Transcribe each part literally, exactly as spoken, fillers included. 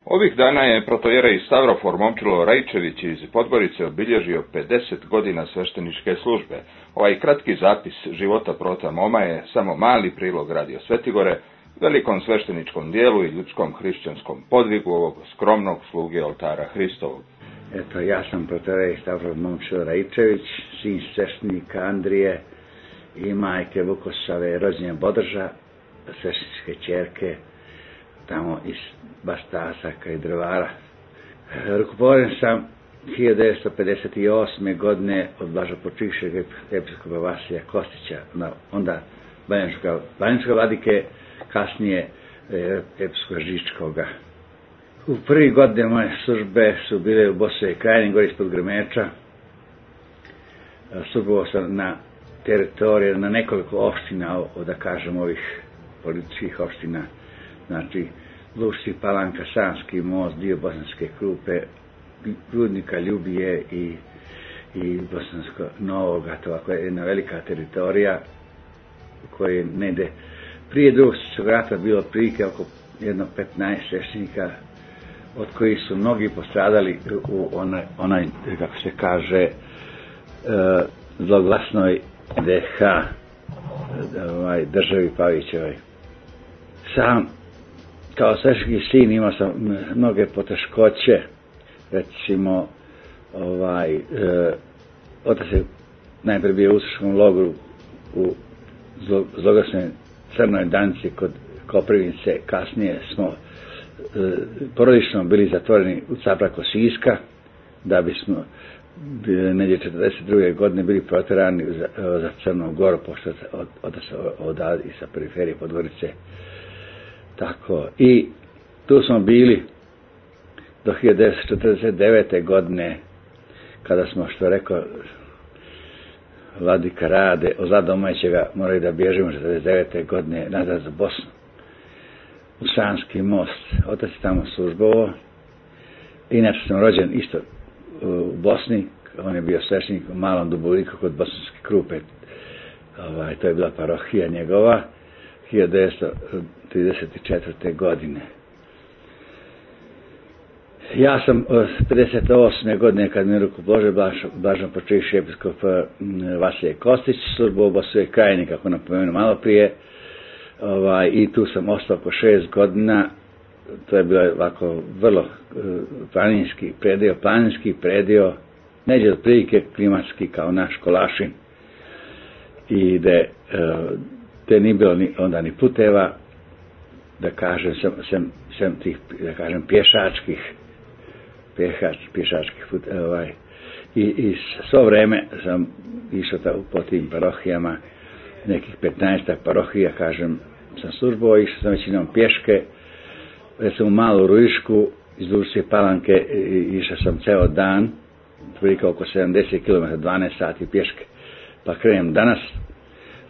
Ovih dana je protojerej Stavrofor Momčilo Raičević iz Podgorice obilježio pedeset godina svešteničke službe. Ovaj kratki zapis života prota Moma je samo mali prilog Radio Svetigore, velikom svešteničkom dijelu i ljudskom hrišćanskom podvigu ovog skromnog sluge oltara Hristovog. Eto, ja sam protojerej Stavrofor Momčilo Raičević, sin sveštenika Andrije i majke Vukosave rođenja Bodrža, svešteničke ćerke, tamo iz Bastasaka i Drvara. Rukoporen sam hiljadu devetsto pedeset osme. godine od blažopočivšeg episkopa Vasilija Kostića, onda banjačke vladike, kasnije episkopa Žičkoga. U prvi godine moje službe su bile u Bosovoj krajini, gore ispod Grmeča. Službovao sam na teritoriji, na nekoliko opština, da kažem ovih političkih opština, znači Lušci, Palanka, Sanski most, dio Bosanske Krupe, Rudnika, Ljubije i, i Bosansko Novog, to je jedna velika teritorija koja negde prije drugog svjetskog rata bilo prilike oko jedno petnaest sveštenika, od kojih su mnogi postradali u onaj, onaj kako se kaže, e, zloglasnoj D H, ovaj, državi Pavićevoj. Sam kao sveštenski sin imao sam mnoge poteškoće, recimo, ovaj, e, otac je najprije bio u ustaškom logoru u zloglasnoj Crnoj Danci kod Koprivnice, kasnije smo e, porodično bili zatvoreni u Capraku Siska, da bismo negdje četrdeset druge. godine bili protjerani za, za Crnu Goru, pošto otac odavde i sa periferije Podgorice. Tako, i tu smo bili do hiljadu devetsto četrdeset devete. godine, kada smo, što rekao vladika Rade, od domaćega morali da bježimo četrdeset devete. godine nazad za Bosnu, u Sanski most. Otac je tamo službovao. Inače sam rođen isto u Bosni, on je bio sveštenik u Malom Dubovniku kod Bosanske Krupe. Ovaj, to je bila parohija njegova, hiljadu devetsto trideset četvrte. godine. Ja sam od pedeset osme. godine, kad mi rukopoložio blaženopočivši episkop Vasilije Kostić, službovao u Bosovoj krajini, kako napomenuo malo prije, ovaj, i tu sam ostao po šest godina. To je bilo ovako vrlo planinski predio, planinski predio, neđe od prilike klimatski kao naš Kolašin, i gde te nije bilo ni, onda ni puteva, da kažem, sem, sem, sem tih, da kažem, pješačkih, pješač, pješačkih puteva, ovaj, i, i svo vreme sam išao ta, po tim parohijama, nekih petnaestak parohija, kažem, sam službovao, išao sam većinom pješke, recimo u Malu Rujišku, iz Lušće Palanke, išao sam ceo dan, prilike oko sedamdeset kilometara, dvanaest sati pješke, pa krenem danas,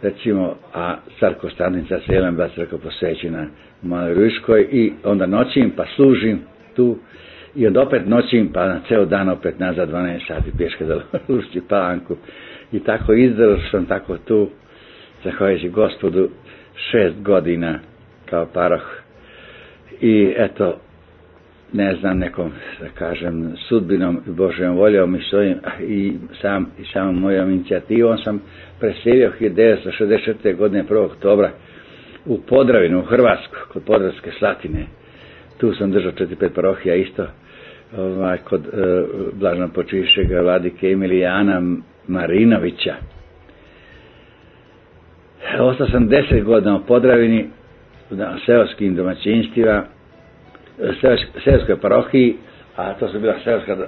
recimo, a car Konstantin se jedan bila crkva posvećena u Maloj Rujiškoj, i onda noćim, pa služim tu, i onda opet noćim, pa na ceo dan opet nazad dvanaest sati pješke za Lušću Palanku, i tako izdržao sam tako tu, zahvaljujući Gospodu, šest godina kao paroh. I eto, ne znam, nekom, da kažem, sudbinom i Božjom voljom i, svojim, i, sam, i samom mojom inicijativom sam preselio hiljadu devetsto šezdeset četvrte. godine prvog oktobra u Podravinu, u Hrvatsku, kod Podravske Slatine. Tu sam držao četiri pet parohija isto, ovaj, kod e, blaženopočivšeg vladike Emilijana Marinovića. Ostao sam deset godina u Podravini, na seoskim domaćinstvima, seoskoj parohiji, a to su bila seoska uh,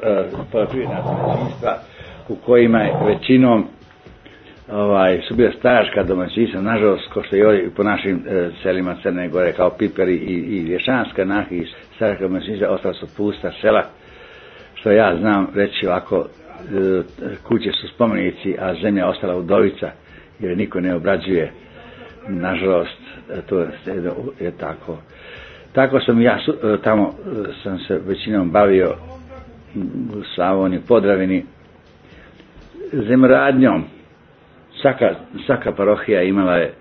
poljoprivredna domaćinstva, u kojima je većinom ovaj, su bila staračka domaćinstva, nažalost, ko što je ovdje po našim uh, selima Crne Gore, kao Piperi i, i Lješanska Nahi, i staračka domaćinstva, ostala su pusta sela, što ja znam reći ovako, uh, kuće su spomenici, a zemlja ostala udovica, jer niko ne obrađuje, nažalost, to je, je tako. Tako sam ja, tamo sam se većinom bavio u Slavoniji, Podravini, zemljoradnjom. Svaka, svaka parohija imala je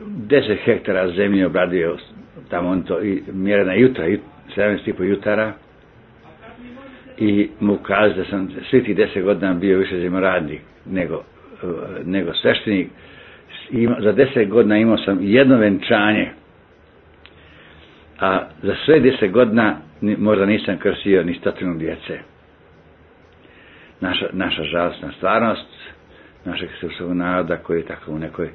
deset hektara zemlje, obradio tamo on to i mjerena jutra, sedamnaest i po jutara i mu kazi da sam svi tih deset godina bio više zemljoradnik nego, nego sveštenik. Ima, za deset godina imao sam jedno venčanje, a za sve deset godina možda nisam krstio ni stotinu djece. Naša, naša žalostna stvarnost našeg srpskog naroda koji je tako u nekoj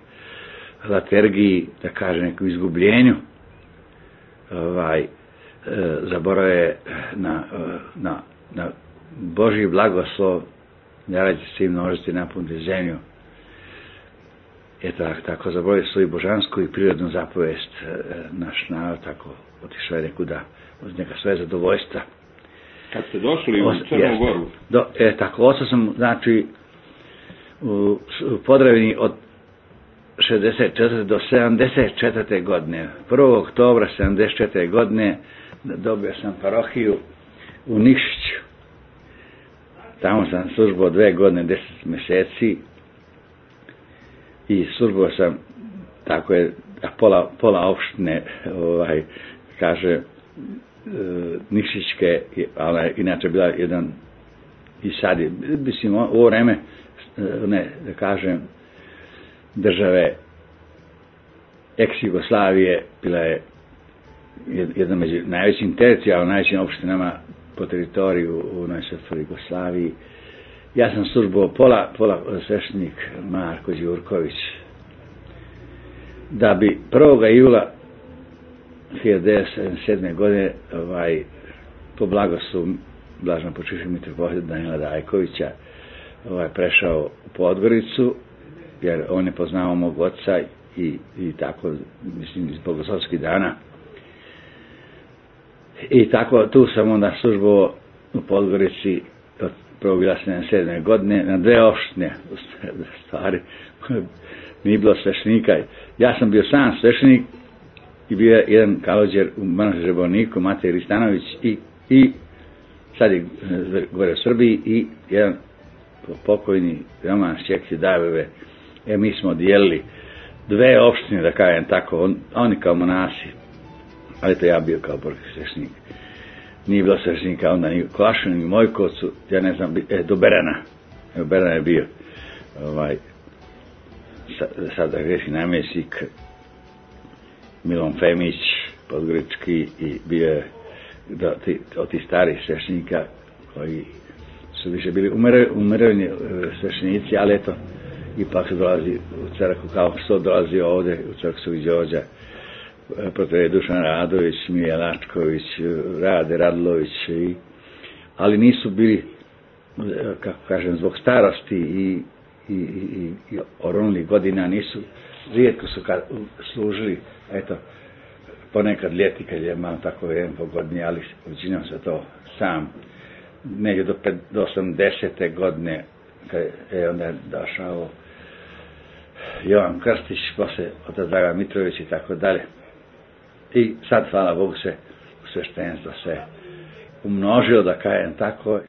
latergiji, da kaže, nekom izgubljenju, ovaj, e, zaboravuje na, na, na Božji blagoslov, da rađe se i množiti napuniti zemlju. Eto, tako zaboravio svoju božansku i prirodnu zapovest, e, naš narod tako otišao je nekuda od neka svoje zadovoljstva. Kad ste došli u Crnu Goru? Do, e, tako, ostao sam, znači, u, u Podravini od šezdeset četvrte do sedamdeset četvrte godine. prvog oktobra sedamdeset četvrte godine dobio sam parohiju u Nikšiću. Tamo sam službao dve godine, deset mjeseci i službao sam, tako je, pola, pola opštine, ovaj, kaže, e, Nikšićke, ali inače bila jedan, i sad je, mislim, u ovo vreme, ne, da kažem, države ex-Jugoslavije bila je jedna među najvećim teritorijalno najvećim opštinama po teritoriju u najsvetoj Jugoslaviji. Ja sam službovao pola, pola sveštenik Marko Đurković, da bi prvog jula hiljadu devetsto sedamdeset sedme. godine ovaj, po blagoslovu blažno počivšeg mitropolita Danila Dajkovića ovaj, prešao u Podgoricu, jer on je poznao mog oca i, i tako, mislim, iz bogoslovskih dana. I tako, tu sam onda službovao u Podgorici od prvog jula sedamdeset sedme. godine na dve opštine, stvari, nije bilo sveštenika. Ja sam bio sam sveštenik i bio je jedan kalođer u Manastiru Žeborniku, Matej Ristanović, i, i sad je gore u Srbiji, i jedan pokojni Roman Šćekci Dajbove. E, mi smo dijelili dve opštine, da kažem tako, on, oni kao monasi, ali to ja bio kao borski sveštenik. Nije bilo sveštenika onda ni u Klašinu, ni u Mojkovcu, ja ne znam, e, do Berana. Evo, Beran je bio, ovaj, sad da grešim namjesnik, Milon Femić, podgorički, i bio je do, ti, od tih starih sveštenika koji su više bili umirovljeni sveštenici, ali eto, ipak su dolazi u crkvu, kao što dolazi ovdje u crkvu Svetog Đorđa, protiv Dušan Radović, Mija Lačković, Rade Radlović, i, ali nisu bili, kako kažem, zbog starosti i, i, i, i oronulih godina, nisu, rijetko su kad služili, eto, ponekad ljeti kad je malo tako jedan pogodnije, ali većinom se to sam, negdje do, do osamdesete godine, kad je onda došao Jovan Krstić, posle otac Dragan Mitrović i tako dalje. I sad, hvala Bogu, se u sveštenstvo se umnožilo, da kažem tako.